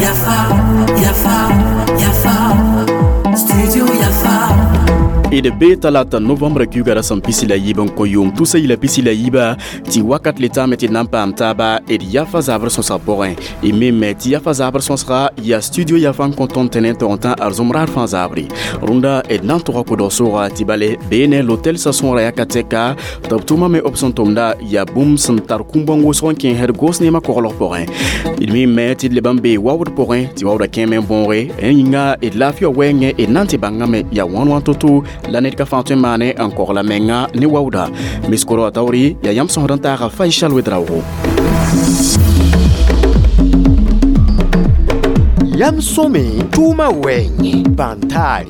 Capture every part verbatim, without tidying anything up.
Yafa, Yafa, Yafa, Studio Yafa. D be talata novembre kiuga ra sẽn pisi la yiib n kõ yʋʋm tusa yila pisi la yiiba tɩ wakat le taame tɩ d na n paam taaba d yafa zabr sõsg pʋgẽ. Y me me tɩ yafa zabr sõsga yaa studio yafa n kõ tõnd tɩ ne tog n tã arzõm raar fãa zabre. Rũndã d na n tʋga kʋdg sʋʋga tɩ bale bee ne l'hôtel sa sõora yaka tɛka tɩ b tʋʋma me b sẽn tʋmda yaa bũmb sẽn tar kũm-bõng wʋsg n kẽesd gos neemã koglg pʋgẽ. D mi me tɩ d leb n bee waood pʋgẽ tɩ waoodã kẽeme n võoge rẽ yĩnga d laafɩ wã wɛɛngẽ d na n tɩ bãngame yaa wãn wã to-to la ned ka fãa tõe n maane n kogla menga ne waooda. Miskoro a taoore yaa yãmb sõsd n taaga Faisal Wedraogo. Yam sõme tʋʋma wɛɛngẽ bãn-taare.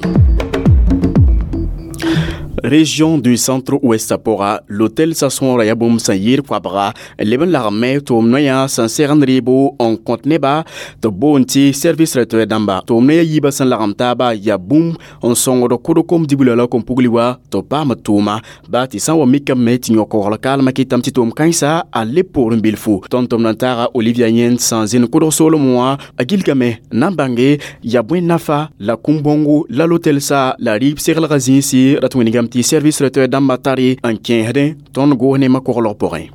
Région du centre-ouest pʋga l'hôtel sa sõora yaa bũmb sẽn yɩɩd koabga leb n lagem tʋʋm noyã sẽn segend rɩɩbo n kõt neba tɩ b boond tɩ service traiteur dãmba. Tʋʋm noyã yiibã sẽn lagem taaba yaa bũmb n sõngd kʋd kom dibla la kom-pugli wa tɩ b paam tʋʋma baa tɩ sã n wa mikame tɩ yõ-kogl kaalmã kɩtame tɩ tʋʋm kãensa a leb poorẽ bilfu. Tõnd tʋmd n taaga Olivia Yẽnd sẽn zĩnd kʋdg soolem wã a gilgame na n bãnge yaa bõe nafa la kũm-bõngo la l'hôtel sa la rɩɩb seglgã zĩisi rat wĩnigame tɩ service traiteur dãmbã tare n kẽesdẽ tõnd goos neemã koglg pʋgẽ.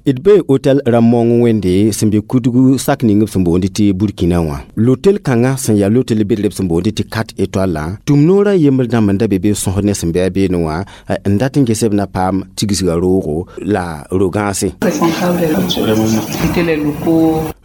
D bee hôtel rãmb-maong wẽnde sẽn be kudgu sak ning b sẽn boond tɩ Burkina wã. L'hôtel kãngã sẽn yaa l'hôtel bedreb sẽn boond tɩ quatre étoiles la tʋm noorã yembr dãmb n da be be sõsd ne sẽn bɩ a beene wã n dat n ges b na paam tigsga roogo la ro-gãase.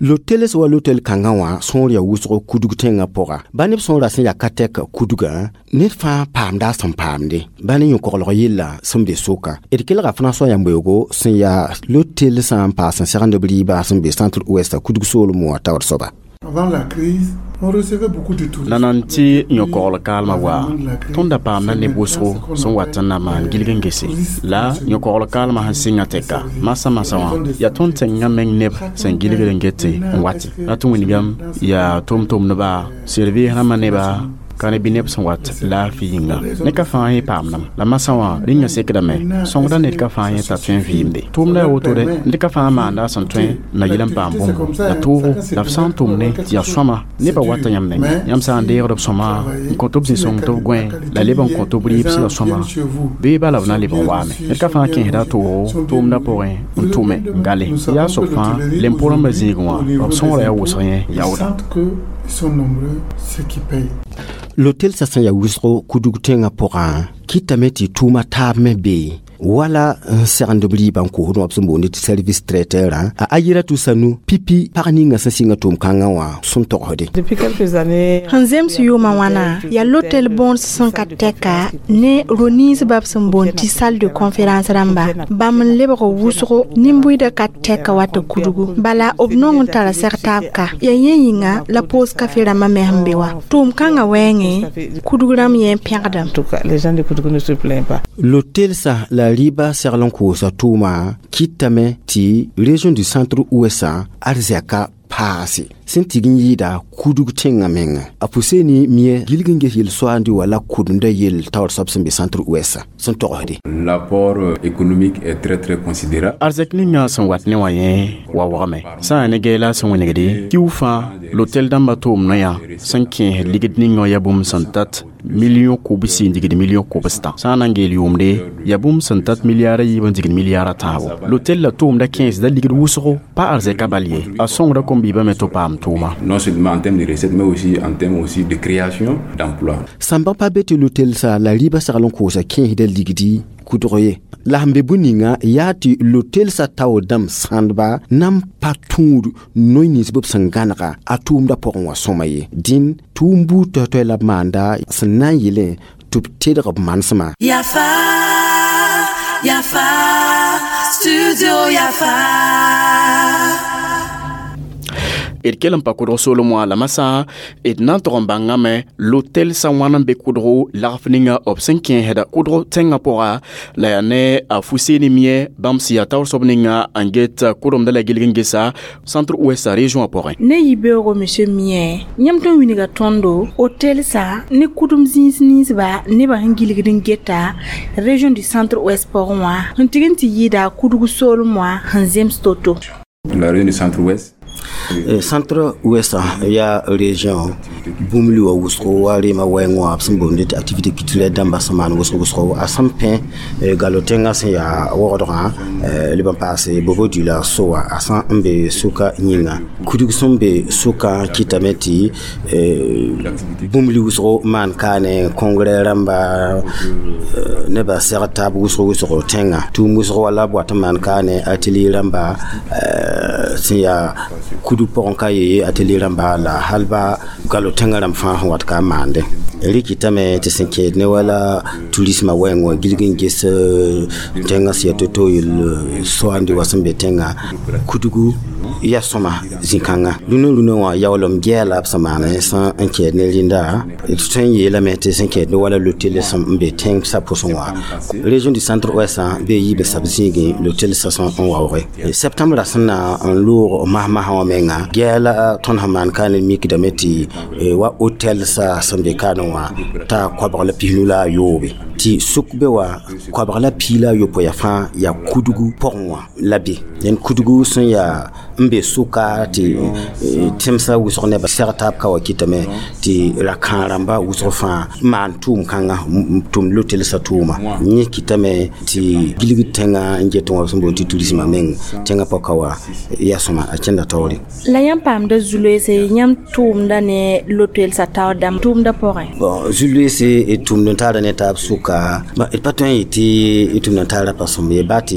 L'hôtel sã wa l'hôtel kãngã wã sõor yaa wʋsgo kudg tẽngã pʋga. Ba neb sõora sẽn yaa ka tɛk kudgã ned fãa paamda a sẽn paamde ba ne yõ-koglg yella sẽn be soka. D kelga François Yamboeogo sẽn yaa l'hôtel sã n paas n segend b rɩɩba sẽn be centre-ouest kudg soolem wã taoor soaba. Avant la crise, on recevait beaucoup de touristes. La nan tɩ yõ-kogl kaalmã wa tõnd da paamda neb wʋsgo sẽn wat n na maan gilg n gese. La yõ-kogl kaalmã sẽn sɩngã tɛka masã masã wã yaa tõnd tẽngã meng neb sẽn gilgd n gete n wate. La tɩ wĩnigame yaa tʋm-tʋmdba service rãmbã neba ka ne bɩ neb sẽn wat laafɩ yĩnga. Ned ka fãa yẽ paamdame. La masã wã rĩngã sekdame sõngda ned ka fãa yẽ t'a tõe n vɩɩmde. Tʋʋmda yaa wotode ned ka fãa maanda a sẽn tõe na yɩl n paam bũmb. La toogo la b sã n tʋm ne tɩ yaa sõama nebã wata yãmb nengẽ. Yãmb sã n deegd b sõma n kõt b zĩ-sõng tɩ b gõe la leb n kõt b rɩɩb sã sõma bee bala b na leb n waame. Ned ka fãa kẽesda a toogo tʋʋmdã pʋgẽ n tʋme n gale. Yaa soab fãa lempo-rãmbã zĩigẽ wã b sõora yaa wʋsg yẽ yaooda. L'hôtel sa sẽn yaa wʋsgo kudg tẽngã pʋgã kɩtame tɩ tʋʋma taab me bee wala n segend b rɩɩbã n koosd wã b sẽn boond tɩ service traiteur a ayira tʋ-sanu pipi pag ninga sẽn sɩnga tʋʋm-kãngã wã sẽn togsde. Sẽn zems yʋʋmã wãna yaa l'hôtel bõod sẽn ka tɛka ne ro-ninsbã b sẽn boond tɩ salle de conférence rãmba bãmb n lebg wʋsgo nin-buiidã ka tɛka wa tɩ kudgu. Bala b nong n tara seg taab ka yaa yẽ yĩnga la pause café rãmbã me sẽn be wa. Tʋʋm-kãngã wɛɛngẽ kudg rãmb yẽ pẽgdame. L'hôtel sa la rɩɩba segl n koosa tʋʋma kɩtame tɩ région du centre-ouest arzɛka paase sẽn tɩg n yɩɩda kudg tẽngã menga. A Fuseni mie gilg n ges yel-soaandi wala kʋdemda yell taoor soab sẽn be centre-ouest sẽn togsde. L'apport économique est très très considérable. Arzɛk ninga sẽn wat ne wã yẽ wa wagame. Sã n yaa ne gɛɛla sẽn wẽnegde kiu fãa l'hôtel dãmbã tʋʋm noyã sẽn kẽes ligd ninga yaa bũmb sẽn tat million kobsi n digd million kobstã. Sã n na n geel yʋʋmde yaa bũmb sẽn tat milliard a yiib n digd milliard a tãabo. L'hôtel la tʋʋmda kẽesda ligd wʋsgo pa arzɛka bal ye. A sõngda kom-biibã me tɩ paam tʋʋma. Non seulement en termes de recettes mais aussi en termes aussi de création d'emplois. Sãmbã pa be tɩ l'hôtel sa la rɩɩbã segl n koosa kẽesda ligdi kudg ye. La sẽn be bũ-ninga yaa tɩ l'hôtel sa taoor dãmb sãndba na n pa tũud noy nins b sẽn gãnega a tʋʋmdã pʋgẽ wã sõma ye. Dĩn tʋʋm buud toay-toay la b maanda sẽn na n yelẽ tɩ b tedg b manesmã. Yafa, Yafa, Studio Yafa. D kell n pa kʋdg soolem wã la masã d na n tog n bãngame lotel sã wãn n be kʋdgo lagf ninga b sẽn kẽesda kʋdg tẽngã pʋga la yaa ne a Fuseni Mie bãmb sẽn yaa taoor soab ninga n get kʋremda la gilg n gesa centre ouest région pʋgẽ. Ne yibeoogo monsieur Mie, yãmb tõe n wilga tõndo hôtel sã ne kʋdem zĩis ninsba nebã sẽn gilgd n geta région du centre ouest pʋgẽ wã sẽn tɩg n tɩ yɩɩda kʋdg soolem wã sẽn zems to-to. La région du centre-ouest. Centre ouest yaa région bũmb li wã wʋsgo wa rema wɛɛngẽ wã b sẽn boonde tɩ activité culturelle dãmba sẽn maan wʋsg wʋsgo a sẽn pẽ galo tẽngã sẽn yaa wogdgã leb n paase bobo dioula sowa a sã n be sʋka yĩnga kudg sẽn be sʋkã kɩtame tɩ bũmb li wʋsgo maan kaane congrès rãmba nebã sɛg taab wʋsg wʋsgo tẽngã tʋʋm wʋsg wala b wat n maan kaane atelier rãmba sẽn yaa kudu pʋgẽ ka yee atelier rãmba la hal ba galo tẽngã rãmb fãa sẽn wat ka n maande rɩkɩtame tɩ sẽn kẽed ne wala tourisme wɛɛng wã gilg n ges tẽngã sẽn yaa to-to yell soaande wa sẽn be tẽngã kudgu yaa sõma zĩ-kãnga rũnã rũnã wã yaoolem gɛɛla b sẽn maan sã n kɛɛd ne rẽnda d tõe n yeelame tɩ sẽn kɛɛd ne wala lotel sẽn n be tẽngsã pʋsẽ wã région du centre ouest bee yiibã sab zĩigẽ lotel sã sẽn n waooge septembre sẽn na n loog masmasã wã menga gɛɛla tõnd sẽn maan ka ne mikdame tɩ wa hôtel sa sẽn be kaane wã t'a koabg la pisnu la a yoobe tɩ sʋk be wa koabg la pii la a yopoe yaa fãa yaa kudgu pʋgẽ wã la be dẽn kudgu sẽn yaa n be sʋka tɩ tẽmsã wʋsg nebã sɛg taab ka wa kɩtame tɩ ra-kãag rãmba wʋsg fãa maan tʋʋm kãnga tʋm lotelsã tʋʋma yẽ kɩtame tɩ gilg tẽngã n get wã sẽn boond tɩ tourismã meng tẽngã pɔka wa yaa sõma a kẽnda taoore. La yãmb paamda zu-loeese yãmb tʋʋmda ne lotelsã taoor dãmb tʋʋmda pʋgẽ? Bon, zu-loeese d tʋʋmd n taara ne taab sʋka d pa tõe n yetɩ d tʋʋmd n taara pa sõmb ye baa tɩ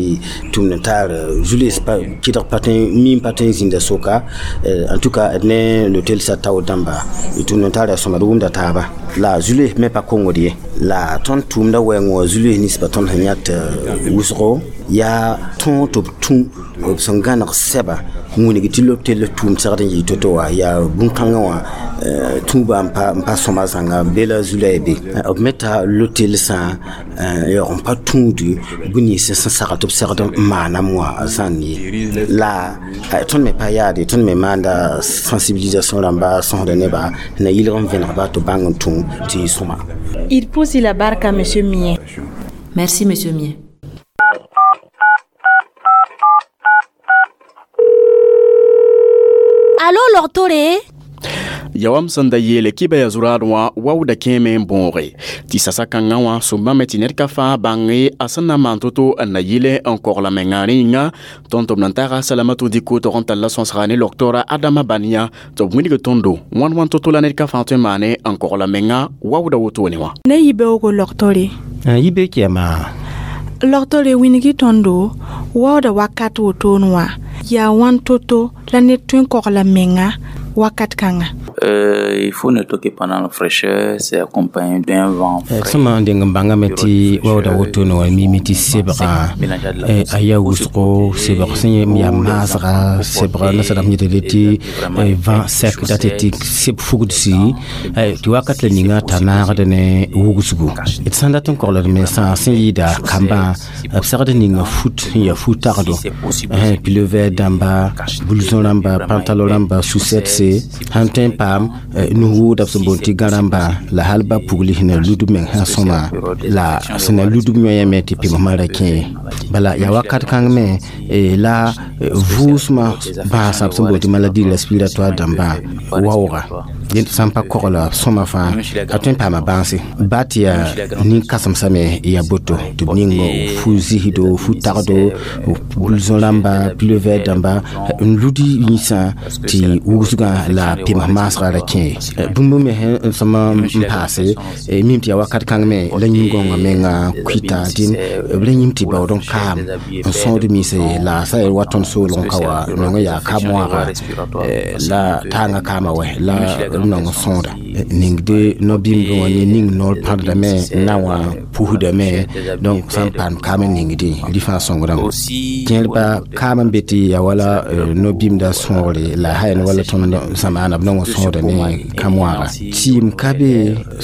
tʋʋmd n taar zu-loees kɩdg pa tõe miim pa tõe n zĩnda sʋka en tout cas d ne lotelsã taoor dãmba d tʋʋmd n taara sõma d wʋmda taaba la zu-loees me pa kongd ye la tõnd tʋʋmda wɛɛng wã zu-loees ninsbã tõnd sẽn yãt wʋsgo yaa tõog tɩ b tũ b sẽn gãneg sɛba wĩnig tɩ lotel tʋʋm segd n yɩ to-to wã yaa bũn-kãngã wã tũuba n pa sõma zãnga be la zu-la be b me ta lotelsã yaoog n pa tũud bũn nins sẽn sagl tɩ b segd n maanam wã zãn ye la tõnd me pa yaade tõnd me maanda sensibilisation rãmba sõsda neba na yɩlg n vẽnegba tɩ bãng n tũ tɩ sõma. Il pousse la barque à monsieur Mie. Merci, monsieur Mie. Allô, Lortore? Yawam sẽn da yeele kɩba yaa zuraad wã waooda kẽeme n bõoge tɩ sasa-kãngã wã sõmbame tɩ ned ka fãa bãnge a sẽn na n maan to-to n na yɩle n kogla menga rẽ yĩnga tõnd tɩ b nan taaga Salamatu Diko tog n talla sõsga ne loktora Adama Bania tɩ b wilg tõndo wãn wãn to-to la ned ka fãa tõe n maane n kogla menga waooda wotone wã. Ne yibeoogo loktore. Yibe kɛɛma. Loktore wingi tõndo waooda wakat wotone wã yaa wãn to-to la ned tõe n kogla menga wakat kãnga. Euh, il faut noter que pendant la fraîcheur, c'est accompagné d'un vent frais. Sõma n deng n bãngame tɩ waooda wotone wã mime tɩ sebga a yaa wʋsgo sebg sẽn yaa maasga sebga nasadam yetd tɩ vent sec dat tɩ seb fugdsi tɩ wakat la ninga t'a naagd ne wugsgo d sãn dat n kogld me sã sẽn yɩɩda kambã b segd ninga fut sẽn yaa fu-tagdo pilever dãmba blouson rãmba pantalon rãmba sous-setse sãn tõe n paam nus-wʋʋda b sẽn boond tɩ gã rãmba la hal ba pugli sẽn na ludb meng sã sõma la sẽn na ludb yõyame tɩ pemsmã ra kẽ bala yaa wakat kãng me la vʋʋsmã bãasã b sẽn boond tɩ maladie respiratoire dãmbã waooga dẽnd sã n pa kogla sõma fãa a tõe n paama bãase baa tɩ yaa nin-kãsemsame yaa boto tɩ b ning fu-zisdo fu-tagdo blouson rãmba pilever dãmba n ludi yĩsã tɩ wugsgã la pems maasgã ra kẽ bũmb me sẽn sõma n paase mim tɩ yaa wakat kãng me la yĩn-gõngã menga kuita dĩn b ra yĩm tɩ baood n kaam n sõod minse la sã wa tõnd soolg n ka wa nong yaa ka moaga la taangã kaama wɛ la b nong n sõoda ningde no-bɩmdẽ wã ne ning noor pãdame na wã pusdame donc sã n paam kaam n ningdẽ rɩ fãa sõngdame kẽerba kaam n be tɩ yaa wala no-bɩmda sõogre la hayan wala tõnd zamaana b nong n sõoda ne kãm-wãaga tɩɩm ka be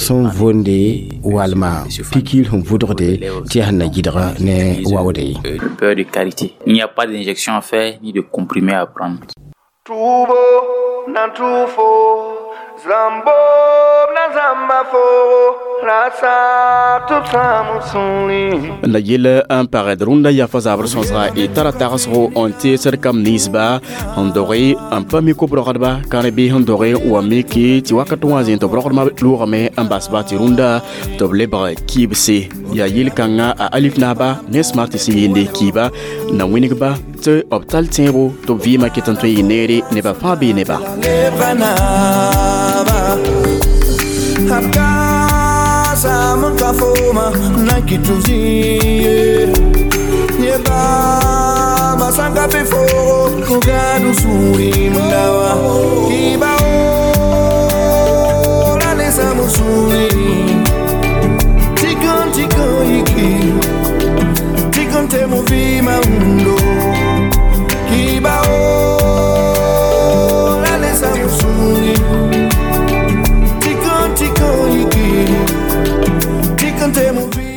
sẽn vonde walma pikir sẽn vʋdgde tɩ yaa sẽn na gɩdg ne waoode ye. Beurre de karité. Il n'y a pas d'injection à faire ni de comprimé à prendre. Tubo na tufo zambo na zambafo rasa tubsamusuli. La yell n pagd rũndã yafa zabr sõsga y tara tagsgo n teesd kam ninsba n doge n pa mi kob-rogdba kãr-bɩ sẽn doge wa miki tɩ wakat wã zĩ tɩ b rogdmã loogame n basba tɩ rũndã tɩ b lebg kibse yaa yel-kãngã a alif naaba ne smart sẽn yɩnde kiiba na wĩnigba tɩ b tall tẽebo tɩ b vɩɩmã ket n tõe n yɩ neere nebã fãa bee neba. Tikon tikon iki Tikon te muvi.